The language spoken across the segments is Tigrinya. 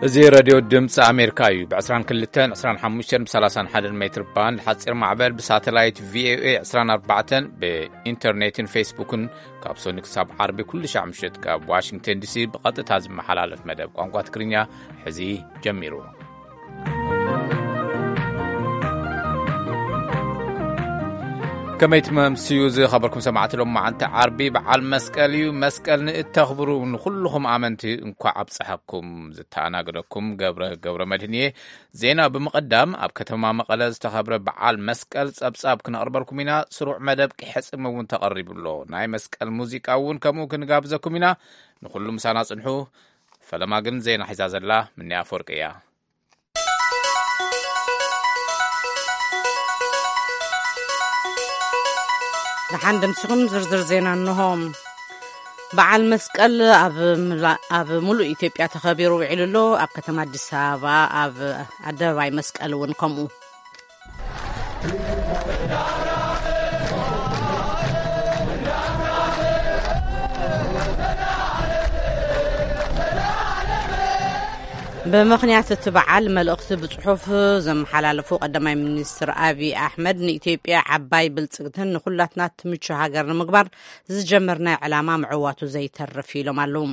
እዚ ሬድዮ ድምፂ ኣሜሪካ እዩ። ብ22፣ 25፣ ብ31 ሜትር ባንድ ሓፂር ማዕበል፣ ብሳተላይት ቪኦኤ 24፣ ብኢንተርኔትን ፌስቡክን ካብ ሶኒ ክሳብ ዓርቢ ኩሉ ሻዕ ምሽት ካብ ዋሽንግተን ዲሲ ብቐጥታ ዝመሓላለፍ መደብ ቋንቋ ትግርኛ ሕዚ ጀሚሩ። ከመይ ትመምስዩ ዝኸበርኩም ሰማዕቲ? ሎም መዓልቲ ዓርቢ በዓል መስቀል እዩ። መስቀል ንእተኽብሩ ንኹልኹም ኣመንቲ እንኳዕ ኣብፀሐኩም። ዝተኣናገደኩም ገብረ ገብረ መድህን እየ። ዜና ብምቕዳም፣ ኣብ ከተማ መቐለ ዝተኸብረ በዓል መስቀል ጸብጻብ ክነቕርበልኩም ኢና። ስሩዕ መደብ ቂሐ ጽም እውን ተቐሪቡ ኣሎ። ናይ መስቀል ሙዚቃ እውን ከምኡ ክንጋብዘኩም ኢና። ንኹሉ ምሳና ጽንሑ። ፈለማ ግን ዜና ሒዛ ዘላ ምንያ ኣፈወርቂ እያ። ደሓን ደምሲኹም ዝርዝር ዜና እንሆ። በዓል መስቀል ኣብ ምላ-፣ ኣብ ሙሉእ ኢትዮጵያ ተኸቢሩ ውዒሉ ኣሎ። ኣብ ከተማ ኣዲስ ኣበባ ኣብ ኣደባባይ መስቀል እውን ከምኡ። ብምኽንያት እቲ በዓል መልእኽቲ ብጽሑፍ ዘመሓላለፉ ቀዳማይ ሚኒስትር ኣብይ ኣሕመድ፣ ንኢትዮጵያ ዓባይ ብልጽግትን ንኹላትና ትምቹ ሃገር ንምግባር ዝጀመርናዮ ዕላማ ምዕዋቱ ዘይተርፍ ኢሎም ኣለዉ።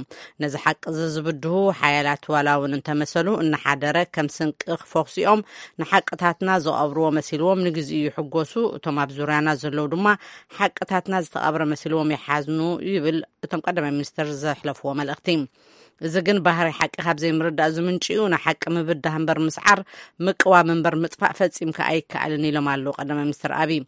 ነዚ ሓቂ እዚ ዝብድሁ ሓያላት ዋላ እውን እንተመሰሉ፣ እናሓደረ ከም ስንቂ ክፈኹስኦም ንሓቅታትና ዝቐብርዎ መሲልዎም ንግዜኡ ይሕጎሱ፣ እቶም ኣብ ዙርያና ዘለዉ ድማ ሓቅታትና ዝተቐብረ መሲልዎም ይሓዝኑ ይብል እቶም ቀዳማይ ሚኒስትር ዘሕለፍዎ መልእኽቲ። እዚ ግን ባህሪ ሓቂ ካብ ዘይምርዳእ ዝምንጭ እዩ። ንሓቂ ምብዳህ እምበር ምስዓር፣ ምቅዋም እምበር ምጥፋእ ፈጺምካ ኣይከኣልን ኢሎም ኣለዉ ቀዳማይ ሚኒስትር ኣብይ።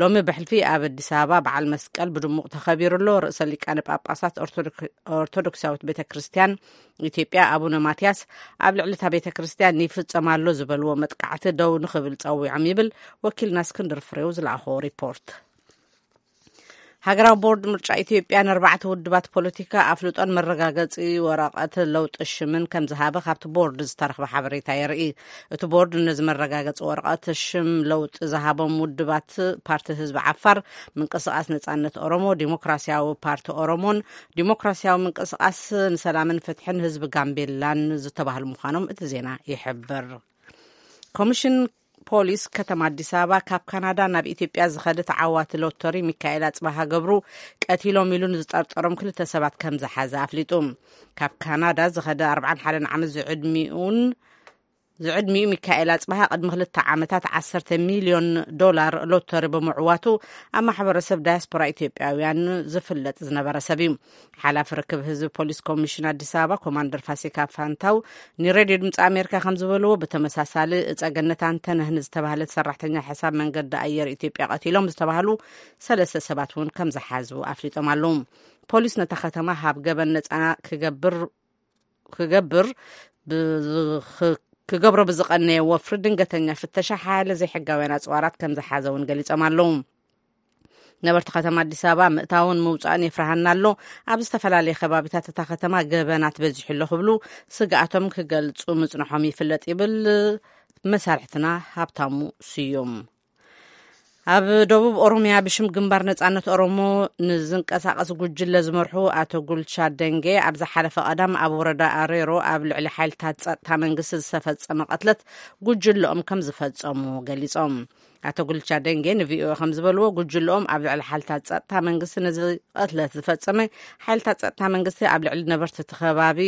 ሎሚ ብሕልፊ ኣብ ኣዲስ ኣበባ በዓል መስቀል ብድሙቕ ተኸቢሩ ኣሎ። ርእሰ ሊቃነ ጳጳሳት ኦርቶዶክ-፣ ኦርቶዶክሳዊት ቤተ ክርስቲያን ኢትዮጵያ ኣቡነ ማትያስ ኣብ ልዕሊ እታ ቤተ ክርስቲያን ይፍጸም ኣሎ ዝበልዎ መጥቃዕቲ ደው ንኽብል ጸዊዖም ይብል ወኪልና እስክንድር ፍሬው ዝለኣኾ ሪፖርት። ሃገራዊ ቦርድ ምርጫ ኢትዮጵያ ንኣርባዕተ ውድባት ፖለቲካ ኣፍልጦን መረጋገጺ ወረቐት ለውጢ ሽምን ከም ዝሃበ ካብቲ ቦርድ ዝተረኽበ ሓበሬታ የርኢ። እቲ ቦርድ ነዚ መረጋገጺ ወረቐት ሽም ለውጢ ዝሃቦም ውድባት ፓርቲ ህዝቢ ዓፋር፣ ምንቅስቓስ ነጻነት ኦሮሞ፣ ዲሞክራሲያዊ ፓርቲ ኦሮሞን ዲሞክራሲያዊ ምንቅስቓስ ንሰላምን ፍትሕን ህዝቢ ጋምቤላን ዝተባህሉ ምዃኖም እቲ ዜና ይሕብር። ኮሚሽን ፖሊስ ከተማ ኣዲስ ኣበባ ካብ ካናዳ ናብ ኢትዮጵያ ዝኸደ ተዓዋቲ ሎተሪ ሚካኤል ኣጽባሃ ገብሩ ቀቲሎም ኢሉ ንዝጠርጠሮም ክልተ ሰባት ከም ዝሓዘ ኣፍሊጡ። ካብ ካናዳ ዝኸደ ኣርባዓን ሓደን ዓመት ዝዕድሚኡን ዝዕድሚኡ ሚካኤል ኣጽባሃ ቅድሚ ክልተ ዓመታት 10 ሚልዮን ዶላር ሎተሪ ብምዕዋቱ ኣብ ማሕበረሰብ ዳያስፖራ ኢትዮጵያውያን ዝፍለጥ ዝነበረ ሰብ እዩ። ሓላፊ ርክብ ህዝቢ ፖሊስ ኮሚሽን ኣዲስ ኣበባ ኮማንደር ፋሲካ ፋንታው ንሬድዮ ድምፂ ኣሜሪካ ከም ዝበልዎ፣ ብተመሳሳሊ እፀገነት ኣንተነህ ንዝተባህለት ሰራሕተኛ ሕሳብ መንገዲ ኣየር ኢትዮጵያ ቀቲሎም ዝተባህሉ ሰለስተ ሰባት እውን ከም ዝሓዙ ኣፍሊጦም ኣለዉ። ፖሊስ ነታ ከተማ ሃብ ገበን ነፃ ክገብር ክገብር ብዝኽ-፣ ክገብሮ ብዝቐነየ ወፍሪ ድንገተኛ ፍተሻ ሓያለ ዘይሕጋውያን ኣፅዋራት ከም ዝሓዘ እውን ገሊጾም ኣለዉ። ነበርቲ ከተማ ኣዲስ ኣበባ ምእታውን ምውፃእን የፍርሃና ኣሎ፣ ኣብ ዝተፈላለየ ከባቢታት እታ ከተማ ገበናት በዚሑ ኣሎ ክብሉ ስግኣቶም ክገልጹ ምጽንሖም ይፍለጥ ይብል መሳርሕትና ሃብታሙ ስዩም። ኣብ ደቡብ ኦሮሚያ ብሽም ግንባር ነጻነት ኦሮሞ ንዝንቀሳቐስ ጉጅለ ዝመርሑ ኣቶ ጉልቻ ደንጌ ኣብ ዝሓለፈ ቀዳም ኣብ ወረዳ ኣሬሮ ኣብ ልዕሊ ሓይልታት ጸጥታ መንግስቲ ዝተፈጸመ ቀትለት ጉጅለኦም ከም ዝፈጸሙ ገሊጾም። ኣቶ ጉልቻ ደንጌ ንቪኦኤ ከም ዝበልዎ፣ ጉጅለኦም ኣብ ልዕሊ ሓይልታት ጸጥታ መንግስቲ ነዚ ቀትለት ዝፈጸመ ሓይልታት ጸጥታ መንግስቲ ኣብ ልዕሊ ነበርቲ እቲ ከባቢ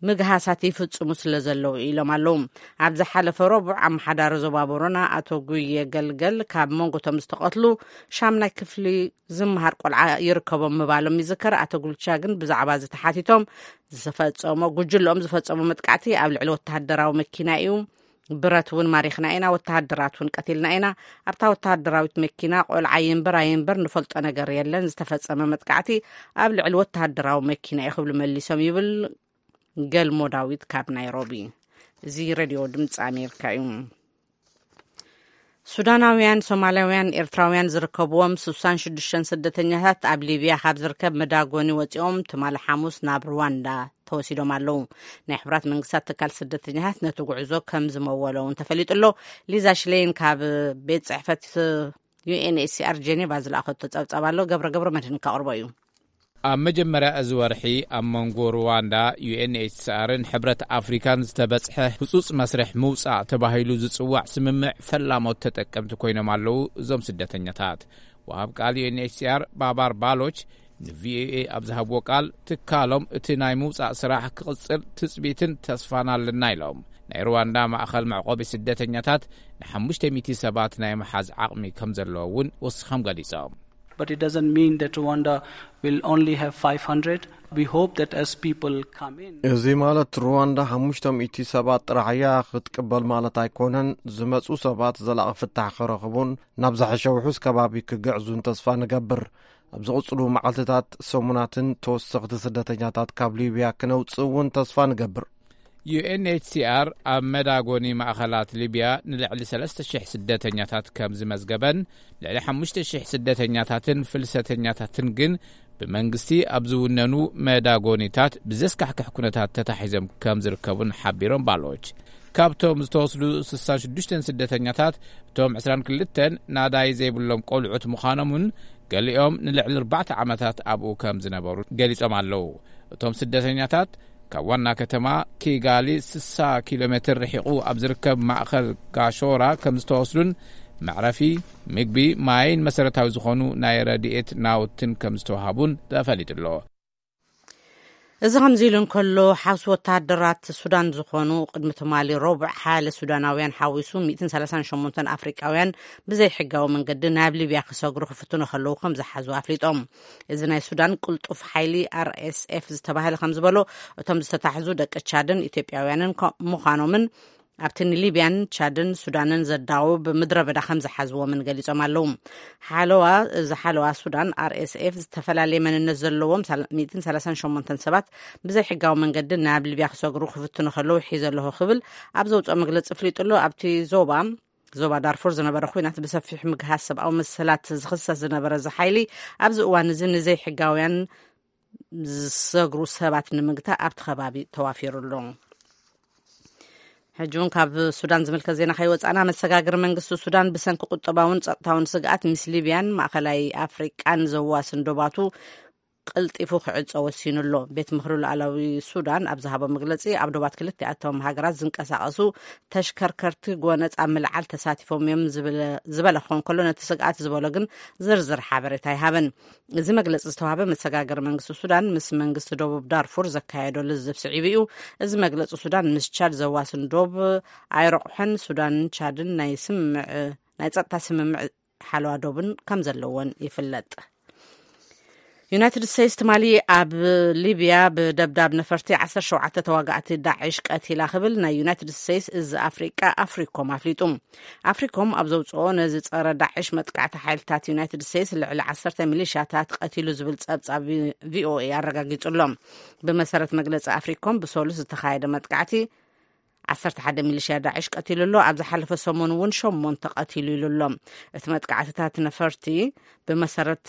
ምግሃሳት ይፍጽሙ ስለ ዘለዉ ኢሎም ኣለዉ። ኣብ ዝሓለፈ ረቡዕ ኣመሓዳሪ ዞባ ቦረና ኣቶ ጉየ ገልገል ካብ መንጎቶም ዝተቐትሉ ሻምናይ ክፍሊ ዝመሃር ቆልዓ ይርከቦም ምባሎም ይዝከር። ኣቶ ጉልቻ ግን ብዛዕባ እዚ ተሓቲቶም፣ ዝፈጸሞ፣ ጉጅለኦም ዝፈጸሞ መጥቃዕቲ ኣብ ልዕሊ ወተሃደራዊ መኪና እዩ። ብረት እውን ማሪኽና ኢና፣ ወተሃደራት እውን ቀቲልና ኢና። ኣብታ ወተሃደራዊት መኪና ቆልዓ ይንበር ኣይንበር ንፈልጦ ነገር የለን። ዝተፈጸመ መጥቃዕቲ ኣብ ልዕሊ ወተሃደራዊ መኪና እዩ ክብሉ መሊሶም ይብል ገልሞ ዳዊት ካብ ናይሮቢ። እዚ ሬድዮ ድምፂ ኣሜሪካ እዩ። ሱዳናውያን፣ ሶማላውያን፣ ኤርትራውያን ዝርከብዎም 66 ስደተኛታት ኣብ ሊብያ ካብ ዝርከብ መዳጎኒ ወፂኦም ትማሊ ሓሙስ ናብ ሩዋንዳ ተወሲዶም ኣለዉ። ናይ ሕቡራት መንግስታት ትካል ስደተኛታት ነቲ ጉዕዞ ከም ዝመወሎ እውን ተፈሊጡ ኣሎ። ሊዛ ሽሌን ካብ ቤት ጽሕፈት ዩ ኤን ኤች ሲ ኣር ጄኔቫ ዝለኣኸቶ ጸብጻብ ኣሎ። ገብረ ገብረ መድህን ከቕርቦ እዩ። ኣብ መጀመርያ እዚ ወርሒ ኣብ መንጎ ሩዋንዳ፣ ዩ ኤን ኤች ሲ ኣርን ሕብረት ኣፍሪካን ዝተበጽሐ ህጹጽ መስርሕ ምውጻእ ተባሂሉ ዝጽዋዕ ስምምዕ ፈላሞት ተጠቀምቲ ኮይኖም ኣለዉ። እዞም ስደተኛታት፣ ወሃብ ቃል ዩ ኤን ኤች ሲ ኣር ባባር ባሎች ን ቪ ኦ ኤ ኣብ ዝሃብዎ ቃል፣ ትካሎም እቲ ናይ ምውጻእ ስራሕ ክቕጽል ትጽቢትን ተስፋን ኣለና ኢሎም። ናይ ሩዋንዳ ማእኸል መዕቆቢ ስደተኛታት ን ሓሙሽተ ሚእቲ ሰባት ናይ ምሓዝ ዓቕሚ ከም ዘለዎ እውን ወሲኾም ገሊጾም። But it doesn't mean that Rwanda will only have five hundred. We hope that as people come in, እዚ ማለት ሩዋንዳ ሓሙሽተ ሚእቲ ሰባት ጥራሕ እያ ክትቅበል ማለት ኣይኮነን። ዝመጹ ሰባት ዘላቒ ፍታሕ ክረኽቡን ናብ ዝሓሸ ውሑስ ከባቢ ክግዕዙን ተስፋ ንገብር። ኣብ ዝቕጽሉ መዓልትታት፣ ሰሙናትን ተወሰኽቲ ስደተኛታት ካብ ሊብያ ክነውጽእ እውን ተስፋ ንገብር። ዩ ኤን ኤች ሲ ኣር ኣብ መዳጎኒ ማእኸላት ሊብያ ንልዕሊ ሰለስተ ሽሕ ስደተኛታት ከም ዝመዝገበን፣ ልዕሊ ሓሙሽተ ሽሕ ስደተኛታትን ፍልሰተኛታትን ግን ብመንግስቲ ኣብ ዝውነኑ መዳጎኒታት ብዘስካሕክሕ ኩነታት ተታሒዞም ከም ዝርከቡን ሓቢሮም ባሎች። ካብቶም ዝተወስዱ ስሳን ሽዱሽተን ስደተኛታት፣ እቶም ዕስራን ክልተን ናዳይ ዘይብሎም ቆልዑት ምዃኖምን፣ ገሊኦም ንልዕሊ ኣርባዕተ ዓመታት ኣብኡ ከም ዝነበሩ ገሊጾም ኣለዉ። እቶም ስደተኛታት ካብ ዋና ከተማ ኪጋሊ ስሳ ኪሎ ሜትር ርሒቑ ኣብ ዝርከብ ማእኸል ጋሾራ ከም ዝተወስዱን፣ መዕረፊ፣ ምግቢ፣ ማይን መሰረታዊ ዝኾኑ ናይ ረድኤት ናውትን ከም ዝተዋሃቡን ተፈሊጡ ኣሎ። እዚ ከምዚ ኢሉ እንከሎ፣ ሓውሲ ወተሃደራት ሱዳን ዝኾኑ፣ ቅድሚ ትማሊ ረቡዕ፣ ሓያለ ሱዳናውያን ሓዊሱ ሚእትን ሰላሳን ሸሞንተን ኣፍሪቃውያን ብዘይሕጋዊ መንገዲ ናብ ሊብያ ክሰግሩ ክፍትኑ ከለዉ ከም ዝሓዙ ኣፍሊጦም። እዚ ናይ ሱዳን ቅልጡፍ ሓይሊ፣ ኣር ኤስ ኤፍ ዝተባህለ፣ ከም ዝበሎ፣ እቶም ዝተታሕዙ ደቂ ቻድን ኢትዮጵያውያንን ምዃኖምን፣ ኣብቲ ንሊብያን ቻድን ሱዳንን ዘዳውብ ምድረ በዳ ከም ዝሓዝዎምን ገሊጾም ኣለዉ። ሓለዋ፣ እዚ ሓለዋ ሱዳን፣ ኣር ኤስ ኤፍ፣ ዝተፈላለየ መንነት ዘለዎም ሚእትን ሰላሳን ሸሞንተን ሰባት ብዘይሕጋዊ መንገዲ ናብ ሊብያ ክሰግሩ ክፍትኑ ከለዉ ሒዘ ኣለኹ ክብል ኣብ ዘውፅኦ መግለፂ ኣፍሊጡ ኣሎ። ኣብቲ ዞባ፣ ዞባ ዳርፉር ዝነበረ ኲናት ብሰፊሕ ምግሃስ ሰብኣዊ መሰላት ዝኽሰስ ዝነበረ እዚ ሓይሊ፣ ኣብዚ እዋን እዚ ንዘይሕጋውያን ዝሰግሩ ሰባት ንምግታእ ኣብቲ ከባቢ ተዋፊሩ ኣሎ። ሕጂ እውን ካብ ሱዳን ዝምልከት ዜና ከይወጻእና፣ መሰጋግሪ መንግስቲ ሱዳን ብሰንኪ ቁጠባውን ጸጥታውን ስግኣት ምስ ሊብያን ማእኸላይ ኣፍሪቃን ዘዋስን ዶባቱ ቀልጢፉ ክዕጾ ወሲኑ ኣሎ። ቤት ምኽሪ ሉዓላዊ ሱዳን ኣብ ዝሃቦ መግለጺ፣ ኣብ ዶባት ክልቲኣቶም ሃገራት ዝንቀሳቐሱ ተሽከርከርቲ ጎነጽ ኣብ ምልዓል ተሳቲፎም እዮም ዝበለ ክኾን ከሎ፣ ነቲ ስግኣት ዝበሎ ግን ዝርዝር ሓበሬታ ኣይሃበን። እዚ መግለጺ ዝተዋህበ መሰጋገሪ መንግስቲ ሱዳን ምስ መንግስቲ ደቡብ ዳርፉር ዘካየዶ ልዝብ ስዒቡ እዩ። እዚ መግለጺ ሱዳን ምስ ቻድ ዘዋስን ዶብ ኣይረቑሐን። ሱዳንን ቻድን ናይ ስምምዕ ናይ ጸጥታ ስምምዕ ሓለዋ ዶብን ከም ዘለወን ይፍለጥ። ዩናይትድ ስቴትስ ትማሊ ኣብ ሊብያ ብደብዳብ ነፈርቲ ዓሰርተ ሸውዓተ ተዋጋእቲ ዳዕሽ ቀቲላ ክብል ናይ ዩናይትድ ስቴትስ እዚ ኣፍሪቃ ኣፍሪኮም ኣፍሊጡ። ኣፍሪኮም ኣብ ዘውፅኦ ነዚ ፀረ ዳዕሽ መጥቃዕቲ ሓይልታት ዩናይትድ ስቴትስ ልዕሊ ዓሰርተ ሚሊሻታት ቀቲሉ ዝብል ፀብፃብ ቪኦኤ ኣረጋጊጹ ኣሎ። ብመሰረት መግለፂ ኣፍሪኮም ብሰሉስ ዝተኻየደ መጥቃዕቲ ዓሰርተ ሓደ ሚሊሽያ ዳዕሽ ቀቲሉ ኣሎ። ኣብ ዝሓለፈ ሰሙን እውን ሸሞንተ ቀቲሉ ኢሉ ኣሎ። እቲ መጥቃዕትታት ነፈርቲ ብመሰረት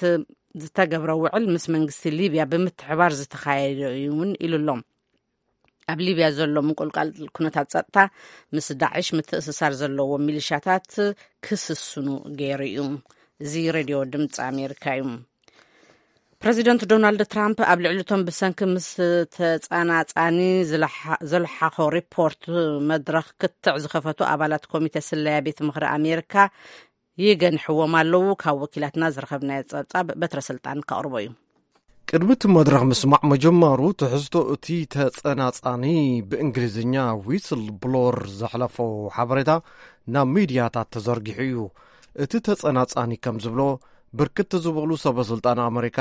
ዝተገብረ ውዕል ምስ መንግስቲ ሊብያ ብምትሕባር ዝተኻየደ እዩ እውን ኢሉ ኣሎ። ኣብ ሊብያ ዘሎ ምቁልቃል ኩነታት ጸጥታ ምስ ዳዕሽ ምትእስሳር ዘለዎ ሚሊሻታት ክስስኑ ገይሩ እዩ። እዚ ሬድዮ ድምፂ ኣሜሪካ እዩ። ፕረዚደንት ዶናልድ ትራምፕ ኣብ ልዕሊ እቶም ብሰንኪ ምስ ተጸናጻኒ ዝለሓ- ዘልሓኾ ሪፖርት መድረኽ ክትዕ ዝኸፈቱ ኣባላት ኮሚተ ስለያ ቤት ምኽሪ ኣሜሪካ ይገንሕዎም ኣለዉ። ካብ ወኪላትና ዝረኸብናዮ ጸብጻብ በትረ ስልጣን ከቕርቦ እዩ። ቅድሚ እቲ መድረኽ ምስማዕ ምጅማሩ፣ ትሕዝቶ እቲ ተጸናጻኒ፣ ብእንግሊዝኛ ዊስል ብሎር ዘሕለፎ ሓበሬታ ናብ ሚድያታት ተዘርጊሑ እዩ። እቲ ተጸናጻኒ ከም ዝብሎ፣ ብርክት ዝበሉ ሰበ ስልጣን ኣመሪካ፣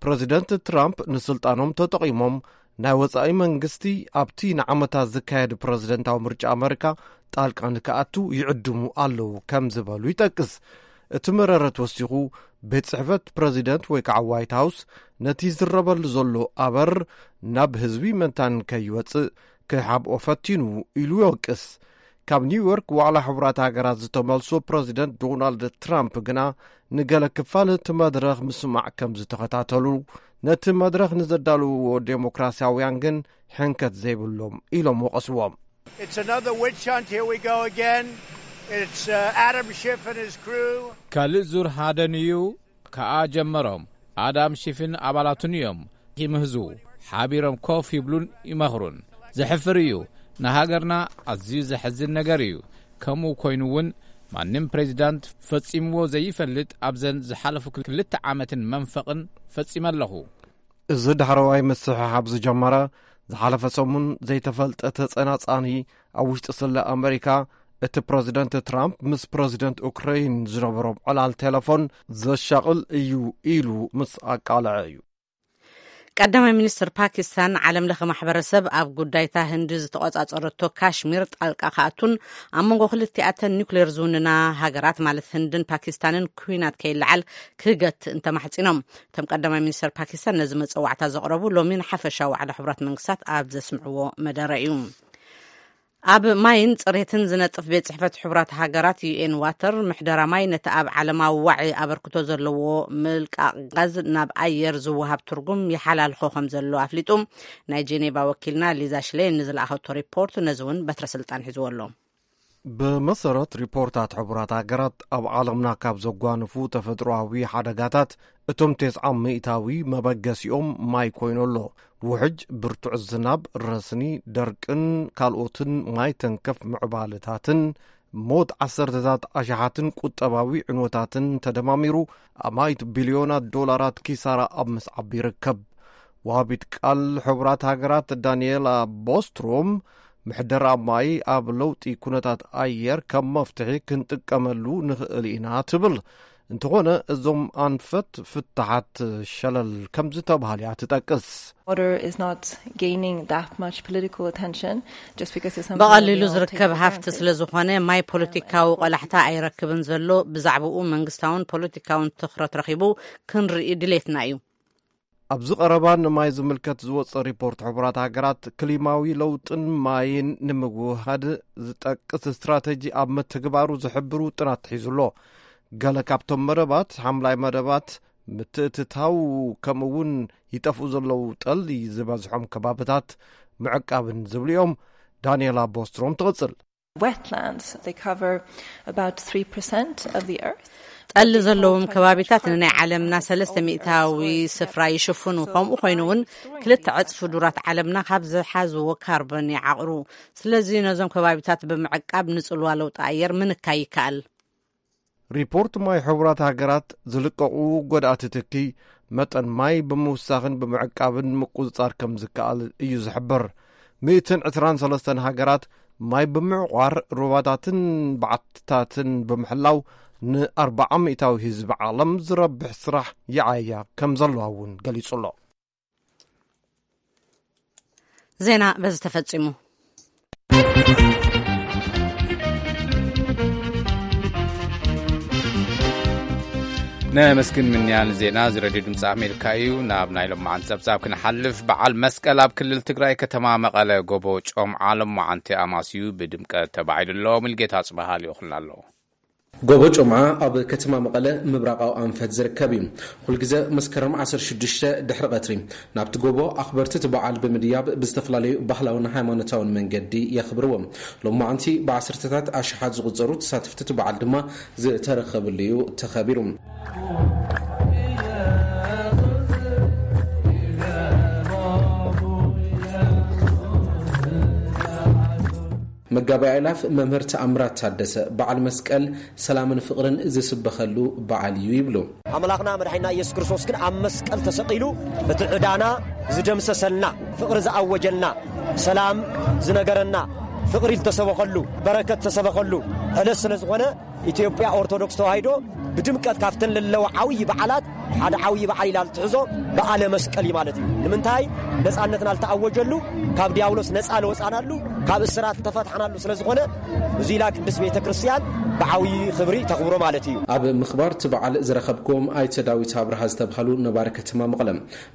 ፕረዚደንት ትራምፕ ንስልጣኖም ተጠቒሞም ናይ ወጻኢ መንግስቲ ኣብቲ ንዓመታት ዝካየድ ፕረዚደንታዊ ምርጫ ኣመሪካ ጣልቃ ንክኣቱ ይዕድሙ ኣለዉ ከም ዝበሉ ይጠቅስ። እቲ መረረት ወሲኹ፣ ቤት ጽሕፈት ፕረዚደንት ወይ ከዓ ዋይት ሃውስ ነቲ ዝረበሉ ዘሎ ኣበር ናብ ህዝቢ መንታን ከይወጽእ ክሓብኦ ፈቲኑ ኢሉ ይወቅስ። ካብ ኒውዮርክ ዋዕላ ሕቡራት ሃገራት ዝተመልሶ ፕረዚደንት ዶናልድ ትራምፕ ግና፣ ንገለ ክፋል እቲ መድረኽ ምስማዕ ከም ዝተኸታተሉ፣ ነቲ መድረኽ ንዘዳልውዎ ዴሞክራሲያውያን ግን ሕንከት ዘይብሎም ኢሎም ወቐስዎም። It's another witch hunt. Here we go again. It's uh, Adam Schiff and his crew. ካልእ ዙር ሃደን እዩ ከኣ ጀመሮም። ኣዳም ሺፍን ኣባላቱን እዮም ይምህዙ። ሓቢሮም ኮፍ ይብሉን ይመኽሩን። ዘሕፍር እዩ። ንሃገርና ኣዝዩ ዘሕዝን ነገር እዩ። ከምኡ ኮይኑ እውን ማንም ፕሬዚዳንት ፈጺምዎ ዘይፈልጥ ኣብዘን ዝሓለፉ ክልተ ዓመትን መንፈቕን ፈጺመ ኣለኹ። እዚ ዳሕረዋይ ምስሕሓብ ዝጀመረ ዝሓለፈ ሰሙን ዘይተፈልጠ ተጸናጻኒ ኣብ ውሽጢ ስለ ኣመሪካ፣ እቲ ፕረዚደንት ትራምፕ ምስ ፕረዚደንት ኡክራይን ዝነበሮም ዕላል ቴሌፎን ዘሻቕል እዩ ኢሉ ምስ ኣቃልዐ እዩ። ቀዳማይ ሚኒስትር ፓኪስታን ዓለም ለኸ ማሕበረሰብ ኣብ ጉዳይታ ህንዲ ዝተቆጻጸረቶ ካሽሚር ጣልቃ ክኣቱን ኣብ መንጎ ክልቲኣተን ኒውክሌር ዝውንና ሃገራት ማለት ህንድን ፓኪስታንን ኩናት ከይለዓል ክህገት እንተማሕጺኖም። እቶም ቀዳማይ ሚኒስትር ፓኪስታን ነዚ መጸዋዕታ ዘቕረቡ ሎሚ ንሓፈሻዊ ዋዕላ ሕቡራት መንግስታት ኣብ ዘስምዕዎ መደረ እዩ። ኣብ ማይን ጽሬትን ዝነጥፍ ቤት ጽሕፈት ሕቡራት ሃገራት ዩኤን ዋተር ምሕደራ ማይ ነቲ ኣብ ዓለማዊ ዋዒ ኣበርክቶ ዘለዎ ምልቃቕ ጋዝ ናብ ኣየር ዝወሃብ ትርጉም ይሓላልኾ ከም ዘሎ ኣፍሊጡ። ናይ ጄኔቫ ወኪልና ሊዛ ሽሌን ንዝለኣኸቶ ሪፖርት ነዚ እውን በትረ ስልጣን ሒዝዎ ኣሎ። ብመሰረት ሪፖርታት ሕቡራት ሃገራት፣ ኣብ ዓለምና ካብ ዘጓንፉ ተፈጥሮኣዊ ሓደጋታት እቶም ተስዓ ሚእታዊ መበገሲኦም ማይ ኮይኑ ኣሎ። ውሕጅ፣ ብርቱዕ ዝናብ፣ ረስኒ፣ ደርቅን ካልኦትን ማይ ተንከፍ ምዕባለታትን ሞት ዓሰርተታት ኣሽሓትን ቁጠባዊ ዕንወታትን ተደማሚሩ ኣማኢት ቢልዮናት ዶላራት ኪሳራ ኣብ ምስዓብ ይርከብ። ወሃቢት ቃል ሕቡራት ሃገራት ዳንኤላ ቦስትሮም፣ ምሕደራ ማይ ኣብ ለውጢ ኩነታት ኣየር ከም መፍትሒ ክንጥቀመሉ ንኽእል ኢና ትብል። እንተኾነ እዞም ኣንፈት ፍታሓት ሸለል ከም ዝተባህሉ እያ ትጠቅስ። Water is not gaining that much political attention just because it's something that we ብቐሊሉ all take ዝርከብ for ሃፍቲ granted. ስለ ዝኾነ ማይ ፖለቲካዊ ቆላሕታ ኣይረክብን ዘሎ። ብዛዕባኡ መንግስታውን ፖለቲካውን ትኹረት ረኺቡ ክንርኢ ድሌትና እዩ። ኣብዚ ቀረባ ንማይ ዝምልከት ዝወፀ ሪፖርት ሕቡራት ሃገራት ክሊማዊ ለውጥን ማይን ንምውሃድ ዝጠቅስ ስትራተጂ ኣብ ምትግባሩ ዝሕብር ውጥናት ሒዙ ኣሎ። ገለ ካብቶም መደባት ሓምላይ መደባት ምትእትታው ከምኡ እውን ይጠፍኡ ዘለዉ ጠሊ ዝበዝሖም ከባብታት ምዕቃብን ዝብሉ እዮም። ዳንኤላ ቦስትሮም ትቕጽል። Wetlands, they cover about three percent of the earth. ጠሊ ዘለዎም ከባቢታት ንናይ ዓለምና ሰለስተ ሚእታዊ ስፍራ ይሽፍኑ። ከምኡ ኮይኑ እውን ክልተ ዕጽፊ ዱራት ዓለምና ካብ ዝሓዝዎ ካርቦን ይዓቕሩ። ስለዚ ነዞም ከባቢታት ብምዕቃብ ንጽልዋ ለውጢ ኣየር ምንካይ ይከኣል። ሪፖርት ማይ ሕቡራት ሃገራት ዝልቀቑ ጎዳእቲ ትኪ መጠን ማይ ብምውሳኽን ብምዕቃብን ምቁጽጻር ከም ዝከኣል እዩ ዝሕብር። ሚእትን ዕስራን ሰለስተን ሃገራት ማይ ብምዕቋር ሩባታትን በዓትታትን ብምሕላው ንኣርብዓ ሚእታዊ ህዝቢ ዓለም ዝረብሕ ስራሕ ይዓያ ከም ዘለዋ እውን ገሊጹ ኣሎ። ዜና በዚ ተፈጺሙ። ነመስግን ምንያን ዜና እዚ ሬድዮ ድምፂ ኣሜሪካ እዩ። ናብ ናይ ሎማዓንቲ ጸብጻብ ክንሓልፍ፣ በዓል መስቀል ኣብ ክልል ትግራይ ከተማ መቐለ ጎቦ ጮምዓ ሎማዓንቲ ኣማስዩ ብድምቀት ተባዒሉ ኣሎ። ሙልጌታ ጽባሃ ልኢኹልና ኣሎ። ጎቦ ጮምዓ ኣብ ከተማ መቐለ ምብራቓዊ ኣንፈት ዝርከብ እዩ። ኩልግዘ መስከረም ዓሰርተ ሽዱሽተ ድሕሪ ቀትሪ ናብቲ ጎቦ ኣኽበርቲ እቲ በዓል ብምድያብ ብዝተፈላለዩ ባህላውን ሃይማኖታውን መንገዲ የኽብርዎ። ሎማዓንቲ ብዓሰርተታት ኣሽሓት ዝቑጸሩ ተሳተፍቲ እቲ በዓል ድማ ዝተረኸብሉ እዩ ተኸቢሩ። መጋቢ ኣእላፍ መምህር ተኣምራት ታደሰ፣ በዓል መስቀል ሰላምን ፍቕርን ዝስበኸሉ በዓል እዩ ይብሉ። ኣምላኽና መድሓኒና ኢየሱስ ክርስቶስ ግን ኣብ መስቀል ተሰቒሉ እቲ ዕዳና ዝደምሰሰልና፣ ፍቕሪ ዝኣወጀልና፣ ሰላም ዝነገረና፣ ፍቕሪ ዝተሰበኸሉ፣ በረከት ዝተሰበኸሉ ዕለት ስለ ዝኾነ፣ ኢትዮጵያ ኦርቶዶክስ ተዋሂዶ ብድምቀት ካብተን ለለዋ ዓብዪ በዓላት ሓደ ዓብዪ በዓል ኢላ ትሕዞ በዓለ መስቀል እዩ ማለት እዩ። ንምንታይ? ነፃነትና ዝተኣወጀሉ፣ ካብ ዲያብሎስ ነፃ ለወፃናሉ፣ ካብ እስራት ዝተፈትሓናሉ ስለ ዝኾነ፣ እዚ ኢላ ቅድስት ቤተ ክርስቲያን ብዓብዪ ክብሪ ተኽብሮ ማለት እዩ። ኣብ ምኽባር እቲ በዓል ዝረኸብክዎም ኣይተ ዳዊት ኣብርሃ ዝተብሃሉ ነባሪ ከተማ መቐለ፣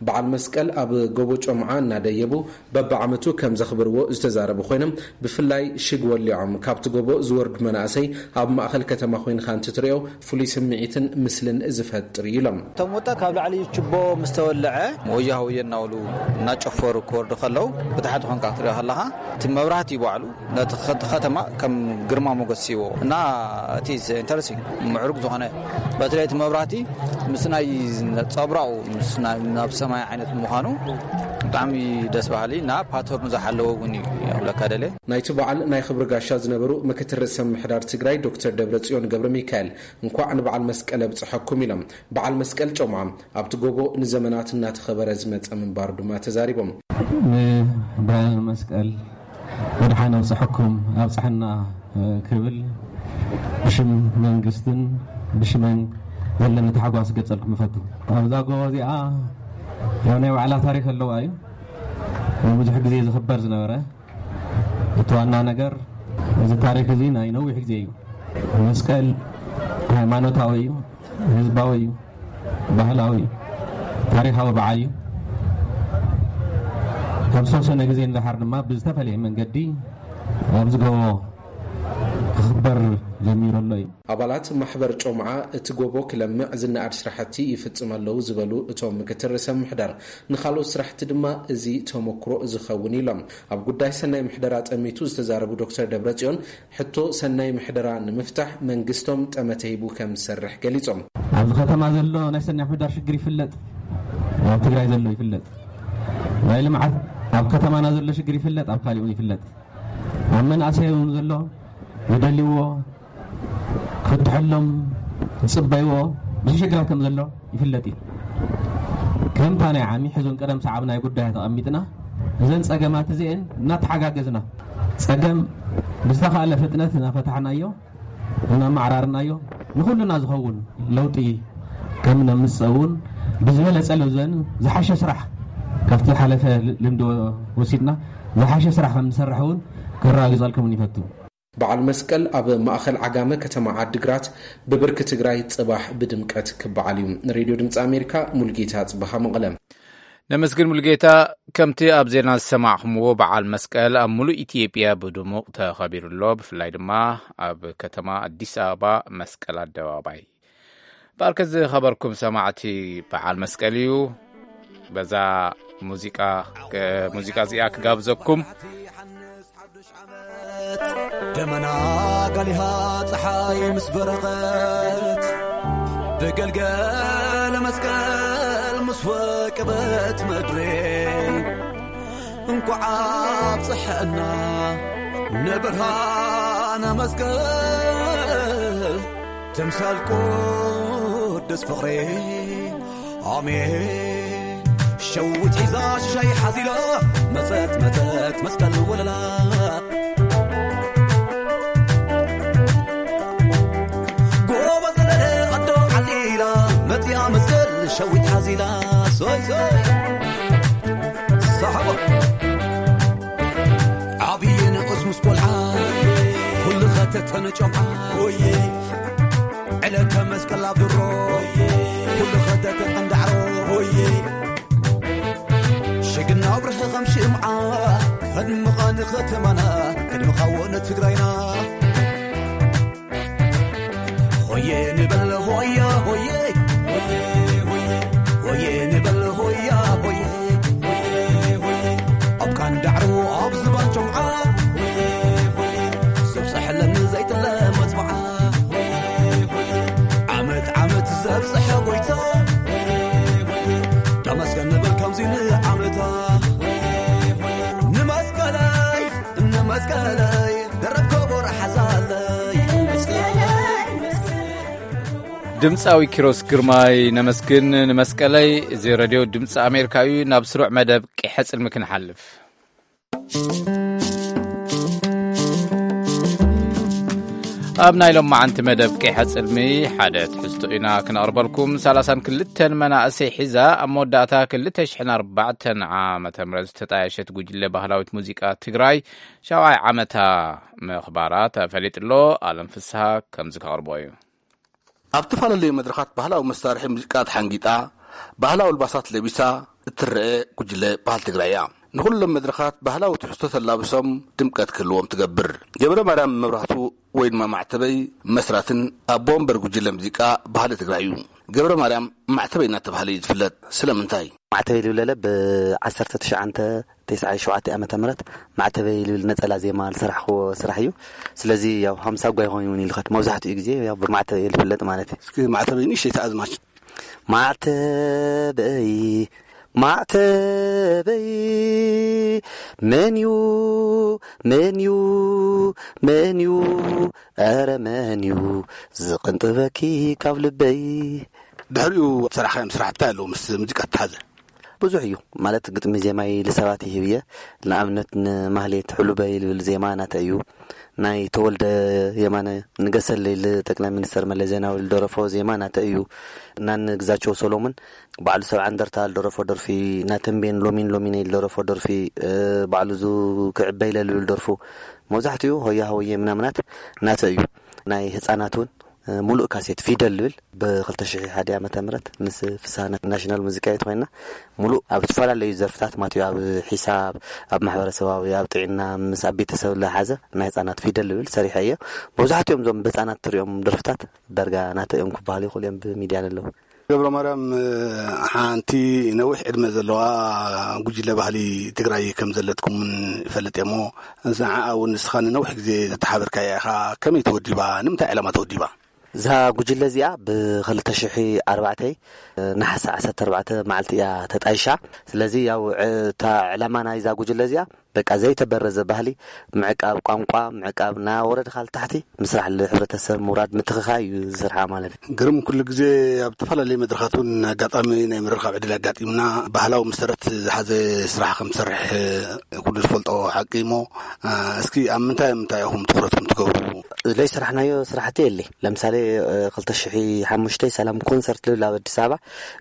በዓል መስቀል ኣብ ጎቦ ጮምዓ እናደየቡ በብዓመቱ ከም ዘኽብርዎ ዝተዛረቡ ኮይኖም፣ ብፍላይ ሽግ ወሊዖም ካብቲ ጎቦ ዝወርዱ መናእሰይ ኣብ ማእኸል ከተማ ኮይንካ እንትትሪኦ ፍሉይ ስምዒትን ምስልን ዝፈጥር እዩ ኢሎም። እቶም ወጣት ካብ ላዕሊ ችቦ ምስ ተወልዐ ወያ ወየ እናበሉ እናጨፈሩ ክወርዱ ከለዉ ብታሕቲ ኮንካ ክትሪኦ ከለኻ እቲ መብራህቲ እቲ ባዕሉ ነቲ ከ-፣ ከተማ ከም ግርማ ሞገስ ይዎ እና እቲ ኢንተረስቲንግ ምዕሩግ ዝኾነ በተለይ እቲ መብራህቲ ምስ ናይ ጸብራኡ ምስ ናይ ናብ ሰማይ ዓይነት ምዃኑ ብጣዕሚ ደስ በሃሊ እና ፓተርኑ ዝሓለወ እውን እዩ። ኣብለካ ደለ ናይቲ በዓል ናይ ክብሪ ጋሻ ዝነበሩ ምክትል ርእሰ ምምሕዳር ትግራይ ዶክተር ደብረጽዮን ገብረ ሚካኤል እንኳዕ ንበዓል መስቀል ኣብጽሐኩም ኢሎም። በዓል መስቀል ጮማ ኣብቲ ጎቦ ንዘመናት እናተኸበረ ዝመጸ ምንባሩ ድማ ተዛሪቦም። ንበዓል መስቀል ብድሓን ኣብፅሐኩም ኣብፅሐና ክብል ብሽም መንግስትን ብሽመን ዘለኒ ታሕጓስ ክገልፀልኩም እፈቱ። ኣብዛ ጎቦ እዚኣ ያው ናይ ባዕላ ታሪክ ኣለዋ እዩ። ብዙሕ ግዜ ዝኽበር ዝነበረ እቲ ዋና ነገር እዚ ታሪክ እዚ ናይ ነዊሕ ግዜ እዩ። መስቀል ሃይማኖታዊ እዩ፣ ህዝባዊ እዩ፣ ባህላዊ እዩ፣ ታሪኻዊ በዓል እዩ። ካብ ዝተወሰነ ግዜ ንደሓር ድማ ብዝተፈለየ መንገዲ ኣብዚ ጎቦ ክኽበር ጀሚሩ ኣሎ እዩ። ኣባላት ማሕበር ጮምዓ እቲ ጎቦ ክለምዕ ዝነኣድ ስራሕቲ ይፍፅም ኣለዉ ዝበሉ እቶም ምክትል ርእሰ ምምሕዳር፣ ንካልኦት ስራሕቲ ድማ እዚ ተመክሮ ዝኸውን ኢሎም። ኣብ ጉዳይ ሰናይ ምሕደራ ጠሚቱ ዝተዛረቡ ዶክተር ደብረፅዮን፣ ሕቶ ሰናይ ምሕደራ ንምፍታሕ መንግስቶም ጠመተ ሂቡ ከም ዝሰርሕ ገሊፆም። ኣብዚ ከተማ ዘሎ ናይ ሰናይ ምሕዳር ሽግር ይፍለጥ፣ ኣብ ትግራይ ዘሎ ይፍለጥ። ናይ ልምዓት ኣብ ከተማና ዘሎ ሽግር ይፍለጥ፣ ኣብ ካሊእ እውን ይፍለጥ። ኣብ መናእሰይ እውን ዘሎ ዝደልይዎ ክፍትሐሎም ዝፅበይዎ ብዙሕ ሽግራት ከም ዘሎ ይፍለጥ እዩ። ከምታ ናይ ዓሚ ሕዚ እውን ቀደም ሰዓብ ናይ ጉዳያት ኣቐሚጥና እዘን ፀገማት እዚአን እናተሓጋገዝና ፀገም ብዝተኻእለ ፍጥነት እናፈታሕናዮ እናማዕራርናዮ ንኹልና ዝኸውን ለውጢ ከም ነምፅእ እውን ብዝበለፀ ልዘን ዝሓሸ ስራሕ ካብቲ ዝሓለፈ ልምዲ ወሲድና ዝሓሸ ስራሕ ከም ንሰርሕ እውን ከረጋግፀልኩም እውን ይፈቱ። በዓል መስቀል ኣብ ማእኸል ዓጋመ ከተማ ዓዲግራት ብብርኪ ትግራይ ፅባሕ ብድምቀት ክበዓል እዩ። ንሬድዮ ድምፂ ኣሜሪካ ሙልጌታ ፅበሃ መቐለ። ነመስግን ሙልጌታ። ከምቲ ኣብ ዜና ዝሰማዕኹምዎ በዓል መስቀል ኣብ ሙሉእ ኢትዮጵያ ብድሙቕ ተኸቢሩ ኣሎ። ብፍላይ ድማ ኣብ ከተማ ኣዲስ ኣበባ መስቀል ኣደባባይ። በኣርከ ዝኸበርኩም ሰማዕቲ በዓል መስቀል እዩ። በዛ ሙዚቃ ሙዚቃ እዚኣ ክጋብዘኩም። ደመና ጋሊሃ ፀሓይ ምስ በረቐት ብገልገለ መስቀል ምስ ወቀበት ምድሪ እንኳዕ ኣብፀሐና ንብርሃነ መስቀል ተምሳል ቅዱስ ፍቕሪ ኣሜን። ሸዊት ሒዛ ሽሻይ ሓዚላ መፀት መፀት መስቀል ወለላ ጎበዝ ለለ ኣዶ ዓሊላ መፅያ መስቀል ሸዊት ሓዚላ ሶይ ሶይ ሳሕቦ ዓብዪ ንኡስ ምስ ቆልዓ ኩሉ ኸተተነ ጨምዓ ወየ ዕለተ መስቀል ኣብ ድሮ ኩሉ ኸተተ ቀንዳዕሮ ወየ ሽግና ኣብርሀ ኸም ሽምዓ ከድምቐ ንኸተማና ከድምቓዎ ንትግራይና ሆየ ንበል ሆያ ሆየ ሆየ ንበል ሆያ ሆየ ኣብ ካንዳዕሮ ኣብ ዝባን ጨምዓ ዘብፀሐለኒ ዘይጥለ መፅምዓ ዓመት ዓመት ዘብፅሐ ጎይታ ተመስገን ንበል ከምዚ ንዓመታ ንመስቀለይ ንመስቀለይ ደረብ ከበሮ ሓዛለይ ድምፃዊ ኪሮስ ግርማይ ነመስግን። ንመስቀለይ እዚ ረድዮ ድምፂ ኣሜሪካ እዩ። ናብ ስሩዕ መደብ ቂሐ ፅልሚ ክንሓልፍ ኣብ ናይ ሎማዓንቲ መደብ ቂሐ ፅልሚ ሓደ ትሕዝቶ ኢና ክነቕርበልኩም። ሰላሳን ክልተን መናእሰይ ሒዛ ኣብ መወዳእታ ክልተ ሽሕን ኣርባዕተን ዓመተ ምህረት ዝተጣየሸት ጉጅለ ባህላዊት ሙዚቃ ትግራይ ሻውዓይ ዓመታ ምኽባራ ተፈሊጡ ኣሎ። ኣለም ፍስሃ ከምዚ ከቕርቦ እዩ። ኣብ ዝተፈላለዩ መድረኻት ባህላዊ መሳርሒ ሙዚቃ ተሓንጊጣ፣ ባህላዊ ኣልባሳት ለቢሳ እትረአ ጉጅለ ባህሊ ትግራይ እያ። ንኹሎም መድረኻት ባህላዊ ትሕዝቶ ተላብሶም ድምቀት ክህልዎም ትገብር። ገብረ ማርያም መብራህቱ ወይ ድማ ማዕተበይ መስራትን ኣቦ ወንበር ጉጅለ ሙዚቃ ባህሊ ትግራይ እዩ። ገብረ ማርያም ማዕተበይ እናተባህለ እዩ ዝፍለጥ። ስለምንታይ? ማዕተበይ ልብለለ ብ1990 ተስዓይ ሸውዓተ ዓመተ ምህረት ማዕተበይ ልብል ነጸላ ዜማ ዝሰራሕክዎ ስራሕ እዩ። ስለዚ ያው ሃምሳ ጓይ ኮይኑ እውን ይልኸድ። መብዛሕትኡ ግዜ ያው ብማዕተበይ እየ ዝፍለጥ ማለት እዩ። እስኪ ማዕተበይ ንእሽተይ ተኣዝማች። ማዕተበይ፣ ማዕተበይ፣ መን እዩ፣ መን እዩ፣ መን እዩ፣ ኧረ መን እዩ ዝቕንጥበኪ ካብ ልበይ? ድሕሪኡ ዝሰራሕካዮም ስራሕቲ እንታይ ኣለዉ ምስ ሙዚቃ ዝተሓዘ? ብዙሕ እዩ። ማለት ግጥሚ ዜማይ ልሰባት ይህብ እየ። ንኣብነት ንማህሌት ሕሉበይ ልብል ዜማ ናተ እዩ። ናይ ተወልደ የማነ ንገሰለይ ልጠቅላይ ሚኒስተር መለስ ዜናዊ ልደረፎ ዜማ ናተ እዩ። ናን ግዛቸው ሰሎሙን ባዕሉ ሰብዓ እንደርታ ልደረፎ ደርፊ፣ ናተንቤን ሎሚን ሎሚን ልደረፎ ደርፊ፣ እ፣ ባዕሉ ዙ ክዕበይ ለልብል ደርፉ መብዛሕትኡ ሆያ ሆየ ምናምናት ናተ እዩ። ናይ ህፃናት እውን፣ እ፣ ሙሉእ ካሴት ፊደል ልብል ብ ክልተ ሽሕ ሓደ ዓመተ ምህረት ምስ ፍስሃ ናሽናል ሙዚቃ ቤት ኮይና ሙሉእ ኣብ ዝተፈላለዩ ዘርፍታት ማለት እዩ። ኣብ ሒሳብ፣ ኣብ ማሕበረሰባዊ፣ ኣብ ጥዕና፣ ምስ ኣብ ቤተሰብ ለሓዘ ናይ ህፃናት ፊደል ልብል ሰሪሐ እየ። መብዛሕትኦም እዞም ብህፃናት ትሪኦም ደርፍታት ዳርጋ ናተ እዮም ክበሃሉ ይኽእሉ እዮም ብሚድያ ለለዉ። ገብረ ማርያም፣ ሓንቲ ነዊሕ ዕድመ ዘለዋ ጉጅለ ባህሊ ትግራይ ከም ዘለትኩም እውን ይፈልጥ እየ እሞ፣ ንዓኣ እውን ንስኻ ንነዊሕ ግዜ ዘተሓበርካያ ኢኻ። ከመይ ተወዲባ? ንምንታይ ዕላማ ተወዲባ? እዛ ጉጅለ እዚኣ ብ ክልተ ሽሕ ኣርባዕተ ነሓሰ ዓሰርተ ኣርባዕተ መዓልቲ እያ ተጣይሻ። ስለዚ ያው ዕ-፣ እታ ዕላማ ናይዛ ጉጅለ እዚኣ በቃ ዘይተበረዘ ባህሊ ምዕቃብ፣ ቋንቋ ምዕቃብ፣ እናወረድካ ልታሕቲ ምስራሕ፣ ልሕብረተሰብ ምውራድ፣ ምትኽኻይ እዩ ዝስርሓ ማለት እዩ። ግርም፣ ኩሉ ግዜ ኣብ ዝተፈላለዩ መድረኻት እውን ኣጋጣሚ ናይ ምርኻብ ዕድል ኣጋጢምና፣ ባህላዊ መሰረት ዝሓዘ ስራሕ ከም ትሰርሕ ኩሉ ዝፈልጦ ሓቂ እሞ፣ እ፣ እስኪ ኣብ ምንታይ ምንታይ ኢኹም ትኹረትኩም ትገብሩ? ዘይሰራሕናዮ ስራሕቲ የለ። ለምሳሌ፣ እ፣ ክልተ ሽሕ ሓሙሽተ ሰላም ኮንሰርት ልብል ኣብ ኣዲስ ኣበባ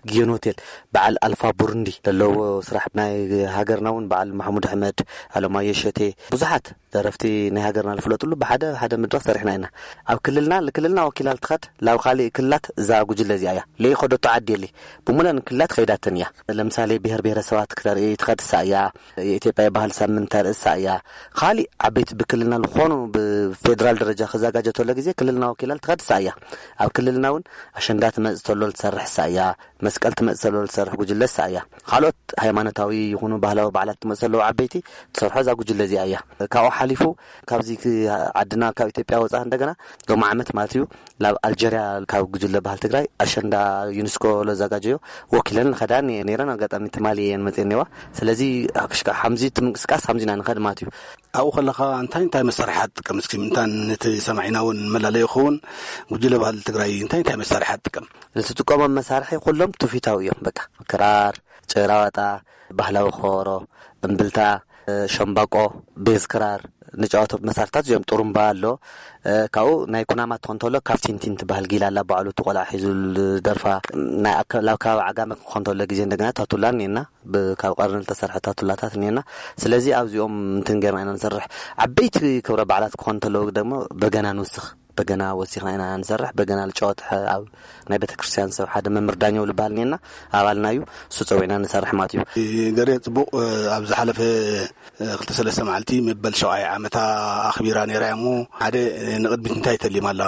ጊዮን ሆቴል በዓል ኣልፋ ቡሩንዲ ዘለዎ ስራሕ ናይ ሃገርና እውን በዓል ማሕሙድ ኣሕመድ፣ ኣለማዮ ሸቴ፣ ብዙሓት ደረፍቲ ናይ ሃገርና ዝፍለጥሉ ብሓደ ሓደ መድረኽ ሰሪሕና ኢና። ኣብ ክልልና፣ ክልልና ወኪላ ልትኸድ ላብ ካሊእ ክልላት እዛ ጉጅለ እዚኣ እያ። ለይኸደቶ ዓዲ የለ። ብሙለን ክልላት ኸይዳተን እያ። ለምሳሌ ብሔር ብሔረሰባት ክተርኢ ትኸድ እሳ እያ። የኢትዮጵያ የባህል ሳምንት ተርኢ እሳ እያ። ካሊእ ዓበይቲ ብክልልና ዝኾኑ ብፌደራል ደረጃ ክዘጋጀ ተሎ ግዜ ክልልና ወኪላ ልትኸድ እሳ እያ። ኣብ ክልልና እውን ኣሸንዳ ትመጽእ ተሎ ልትሰርሕ እሳ እያ። መስቀል ትመጽእ ተሎ ልትሰርሕ ጉጅለ እሳ እያ። ካልኦት ሃይማኖታዊ ይኹኑ ባህላዊ በዓላት ትመጽእ ተለዉ ዓበይቲ ትሰርሖ እዛ ጉጅለ እዚኣ እያ። ካብኡ ሓሊፉ ካብዚ ክ-፣ ዓድና ካብ ኢትዮጵያ ወጻ እንደገና ሎሚ ዓመት ማለት እዩ ናብ ኣልጀርያ ካብ ጉጅለ ባህል ትግራይ ኣሸንዳ ዩኒስኮ ለዛጋጀዮ ወኪለን ንኸዳ ነ-፣ ነይረን። ኣጋጣሚ ትማሊ እየን መጽኤን ነዋ። ስለዚ ኣክሽካ ሓምዚ እቲ ምንቅስቃስ ሓምዚ ኢና ንኸድ ማለት እዩ። ኣብኡ ከለኻ እንታይ እንታይ መሳርሒ ትጥቀም? እስኪ ምእንታን ነቲ ሰማዒና እውን መላለዮ ክኸውን ጉጅለ ባህል ትግራይ እንታይ እንታይ መሳርሒ ትጥቀም? ንትጥቀሞም መሳርሒ ኩሎም ትውፊታዊ እዮም። በቃ ክራር፣ ጭራዋጣ፣ ባህላዊ ከበሮ፣ እምብልታ፣ እ፣ ሸምባቆ፣ ቤዝ ክራር ንጫወቶ መሳርሕታት እዚኦም። ጥሩምባ ኣሎ። እ፣ ካብኡ ናይ ኩናማ ትኾን ተሎ ካብ ቲንቲን ትበሃል ጊላ ኣላ፣ ባዕሉ እቲ ቆልዓ ሒዙ ዝደርፋ። ናይ ኣከ-፣ ኣብ ከባቢ ዓጋመ ክኾን ተሎ ግዜ እንደገና ታቱላ እኒኤና፣ ብ-፣ ካብ ቀርኒ ዝተሰርሐ ታቱላታት እኒኤና። ስለዚ ኣብዚኦም እንትን ጌርና ኢና ንሰርሕ። ዓበይቲ ክብረ በዓላት ክኾን ተለዉ ደግሞ በገና ንውስኽ። በገና ወሲኽና ኢና ንሰርሕ። በገና ልጫወት ሐ-፣ ኣብ ናይ ቤተክርስትያን ሰብ ሓደ መምህር ዳኘው ልበሃል እኒኤና፣ ኣባልና እዩ። እሱ ጸዊዕና ንሰርሕ ማለት እዩ። ገሬ ጽቡቕ፣ እ፣ ኣብ ዝሓለፈ፣ እ፣ ክልተ ሰለስተ መዓልቲ መበል ሸውዓይ ዓመታ ኣኽቢራ ነይራ እያ እሞ፣ ሓደ፣ እ፣ ንቕድሚት እንታይ ተሊማ ኣላ?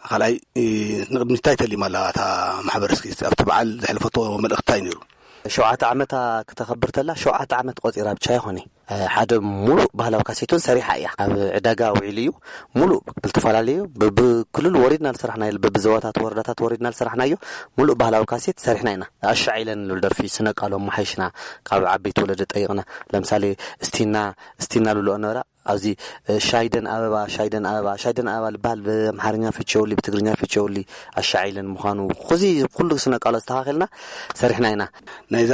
ካልኣይ፣ እ፣ ንቕድሚት እንታይ ተሊማ ኣላ እታ ማሕበር? እስኪ ኣብቲ በዓል ዘሕለፈቶ መልእኽቲ እንታይ ነይሩ? ሸውዓተ ዓመታ ክተኸብር ተላ፣ ሸውዓተ ዓመት ቆጺራ ብቻ ይኾነ። እ፣ ሓደ ሙሉእ ባህላዊ ካሴት እውን ሰሪሓ እያ። ኣብ ዕዳጋ ውዒሉ እዩ። ሙሉእ ብዝተፈላለዩ፣ ብ-፣ ብክልል ወሪድና ዝሰራሕናዮ፣ በብዞባታት ወረዳታት ወሪድና ዝሰራሕናዮ ሙሉእ ባህላዊ ካሴት ሰሪሕና ኢና። ኣሻ ዒለን ዝብል ደርፊ ስነ ቃሎም መሓይሽና፣ ካብ ዓበይቲ ወለደ ጠይቕና። ለምሳሌ፣ እስቲና፣ እስቲና ልብልኦ ነበራ። ኣብዚ፣ እ፣ ሻይደን ኣበባ፣ ሻይደን ኣበባ፣ ሻይደን ኣበባ ልበሃል ብኣምሓርኛ ፍቸውሊ፣ ብትግርኛ ፍቸውሊ፣ ኣሻ ዒለን ምዃኑ። ኹዚ ኩሉ ስነ ቃሎ ኣስተኻኺልና ሰሪሕና ኢና። ናይዛ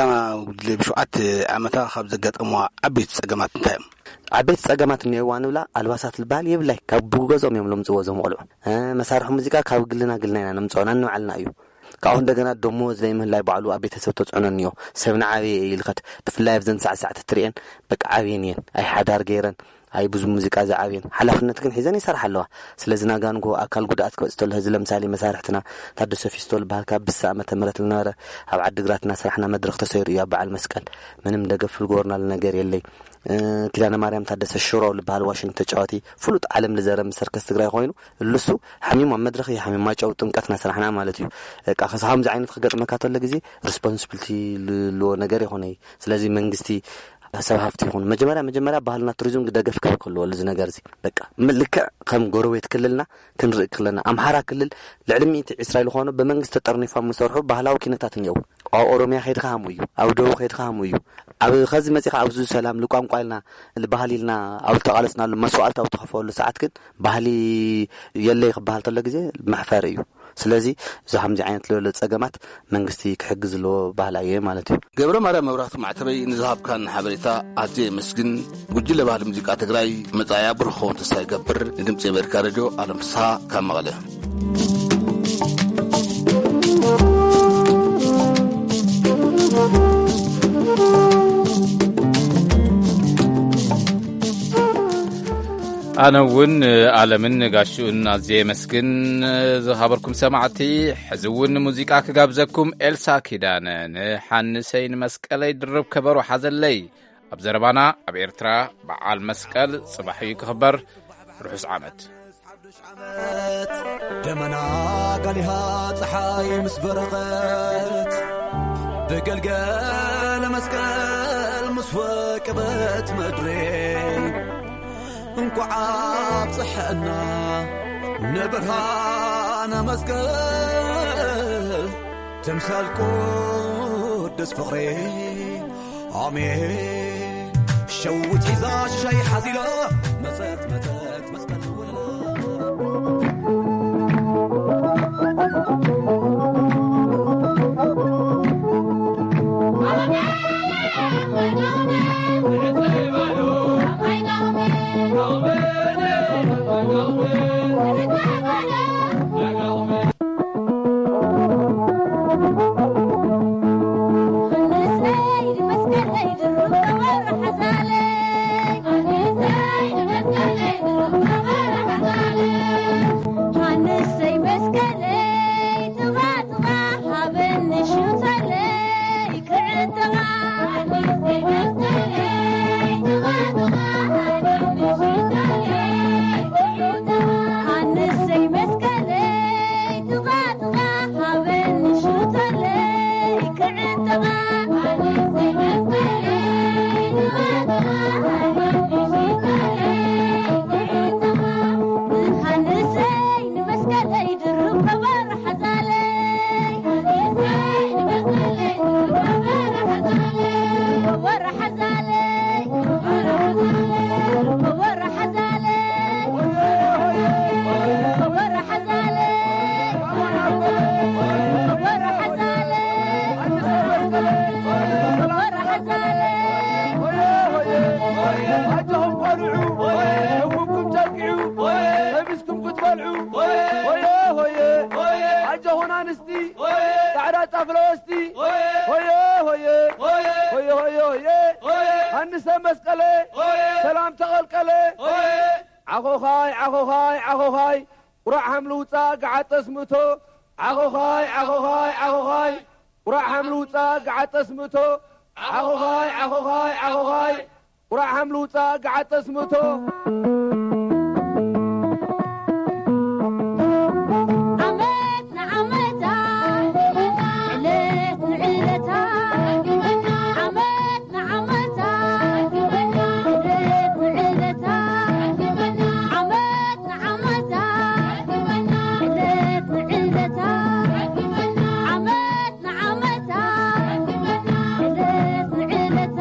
ጉጅለ ብሸውዓተ ዓመታ ካብ ዘጋጠምዋ ዓበይቲ ጸገማት እንታይ እዮም? ዓበይቲ ጸገማት እኒኦዋ ንብላ ኣልባሳት ልበሃል የብላይ። ካብ ብገዝኦም እዮም ለምጽዎ እዞም ቆልዑ። እ፣ መሳርሒ ሙዚቃ ካብ ግልና ግልና ኢና ነምጽኦ፣ ናንባዕልና እዩ። ካብኡ እንደገና ደሞዝ ዘይምህላይ ባዕሉ ኣብ ቤተሰብ ተጽዕኖ እኒኦ። ሰብ ንዓበየ እዩ ይልኸድ። ብፍላይ ኣብዘን ሳዕሳዕቲ ትሪኤን በቃ ዓብየን እየን። ኣይ ሓዳር ገይረን፣ ኣይ ብዙ ሙዚቃ ዝዓብየን። ሓላፍነት ግን ሒዘን ይሰርሓ ኣለዋ። ስለዚ ናጋ ንግሆ ኣካል ጉድኣት ክበጽእ ተሎ፣ እዚ ለምሳሌ መሳርሕትና ታደሰ ፊስቶ ልበሃል ካብ ብሳ ዓመተ ምህረት ልነበረ ኣብ ዓዲግራት እናሰራሕና መድረኽ ተሰይሩ እዩ ኣብ በዓል መስቀል። ምንም ደገፍ ልገበርናሉ ነገር የለይ። እ፣ ኪዳነ ማርያም ታደሰ ሽሮ ልበሃል ዋሽንት ተጫዋቲ ፍሉጥ ዓለም ልዘረ ምስ ሰርከስ ትግራይ ኮይኑ፣ እልሱ ሓሚሙ ኣብ መድረኽ እዩ ሓሚሙ፣ ማጨው ጥምቀትና ስራሕና ማለት እዩ። በቃ፣ ከስ ከምዚ ዓይነት ክገጥመካ ተሎ ግዜ ሪስፖንሲቢሊቲ ልልዎ ነገር ይኾነ እዩ። ስለዚ መንግስቲ ሰብ ሃፍቲ ይኹን፣ መጀመርያ መጀመርያ ባህልና ቱሪዝም ደገፍ ክህብ ክህልዎ እዚ ነገር እዚ። በቃ ም- ልክዕ ከም ጎረቤት ክልልና ክንርኢ ክለና፣ ኣምሓራ ክልል ልዕሊ ሚእቲ ዕስራ ዝኾኑ ብመንግስቲ ተጠርኒፎም ዝሰርሑ ባህላዊ ኪነታት እኒአው። ኣብ ኦሮሚያ ከይድካ ሃሙ እዩ፣ ኣብ ደቡብ ከይድካ ሃሙ እዩ። ኣብ ከዚ መፂኻ ኣብዚ ሰላም ልቋንቋ ኢልና ልባህል ኢልና ኣብ ዝተቓለስናሉ መስዋዕልቲ ኣብ ተኸፈሉ ሰዓት ግን ባህሊ የለይ ክበሃል ተሎ ግዜ መሕፈር እዩ። ስለዚ እዚ ከምዚ ዓይነት ለሎ ጸገማት መንግስቲ ክሕግዝ ዘለዎ ባህል ኣየ ማለት እዩ። ገብረ ማርያም መብራህቱ ማዕተበይ፣ ንዝሃብካን ሓበሬታ ኣዝየ የመስግን። ጉጅለ ባህሊ ሙዚቃ ትግራይ መጻእያ ብሩኽ ክኸውን ተስፋ ይገብር። ንድምጺ ኣሜሪካ ሬድዮ ኣለም ፍስሃ ካብ መቐለ። ኣነ እውን ኣለምን ጋሽኡን ኣዝየ የመስግን። ዝኸበርኩም ሰማዕቲ፣ ሕዚ እውን ሙዚቃ ክጋብዘኩም። ኤልሳ ኪዳነ፣ ንሓንሰይ ንመስቀለይ ድርብ ከበሮ ሓዘለይ። ኣብ ዘረባና፣ ኣብ ኤርትራ በዓል መስቀል ጽባሕ እዩ ክኽበር። ርሑስ ዓመት። ዓመት ደመና ጋሊሃ፣ ጸሓይ ምስ በረቐት፣ ብገልገለ መስቀል ምስ ወቀበት ምድሪ፣ እንኳዕ ኣብጽሐና ንብርሃነ መስቀል፣ ተምሳል ቅዱስ ፍቕሪ። ኣሜን። ሸዊት ሒዛ ሻይ ሓዚላ፣ መጸት መጸት መስቀል ውላ። ኣጆኹም ቆልዑ፣ ህውኩም ጨቂዑ፣ ለቢስኩም ክትበልዑ። ሆየ፣ ሆየ፣ ኣጆኹም ኣንስቲ፣ ጻዕዳ ጫፍ ለበስቲ። ሆየ፣ ሆየ፣ ሆየ፣ ሆየ፣ ሆየ፣ ሃንሰ መስቀለ፣ ሰላም ተቐልቀለ። ዓኾዃይ፣ ዓኾዃይ፣ ዓኾዃይ፣ ቁራዕ ሃምሊ ውጻእ፣ ገዓጠስ ምእቶ። ዓኾዃይ፣ ዓኾዃይ፣ ዓኾዃይ፣ ቁራዕ ሃምሊ ውጻእ፣ ገዓጠስ ምእቶ። ዓኾዃይ፣ ዓኾዃይ፣ ዓኾዃይ፣ ቁራዕ ሃምሊ ውጻእ፣ ገዓጠስ ምእቶ። ዓመት ንዓመታ፣ ዕለት ንዕለታ፣ ዓመት ንዓመታ፣ ዕለት ንዕለታ፣ ዓመት ንዓመታ፣ ዕለት ንዕለታ፣ ዓመት ንዓመታ፣ ዕለት ንዕለታ።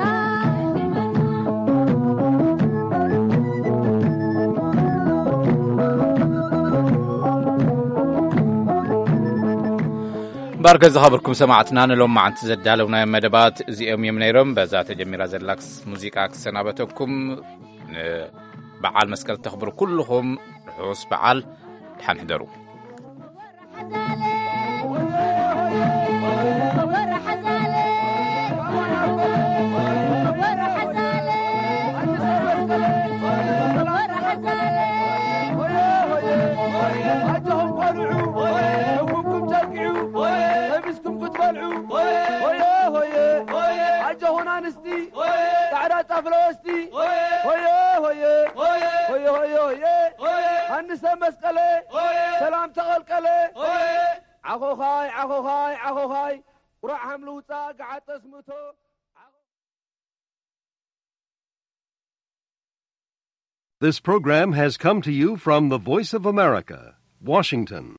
እምበኣርከ ዝኸበርኩም ሰማዕትና፣ ንሎማዓንቲ ዘዳለውናዮም መደባት እዚኦም እዮም ነይሮም። በዛ ተጀሚራ ዘላ ክስ-፣ ሙዚቃ ክሰናበተኩም። ንበዓል መስቀል ተኽብሩ ኩልኹም ርሑስ በዓል፣ ደሓን ሕደሩ። ኣጆኹም ቆልዑ፣ ህውኩም ጨቂዑ፣ ለቢስኩም ክትበልዑ። ሆየ፣ ሆየ፣ ኣጆኹም ኣንስቲ፣ ጻዕዳ ጫፍ ለበስቲ። ሆየ፣ ሆየ፣ ሆየ፣ ሆየ፣ ሆየ፣ ሃንሰ መስቀለ፣ ሰላም ተቐልቀለ። ዓኾዃይ፣ ዓኾዃይ፣ ዓኾዃይ፣ ቁራዕ ሃምሊ ውጻእ፣ ገዓጠስ ምእቶ። This program has come to you from the Voice of America, Washington.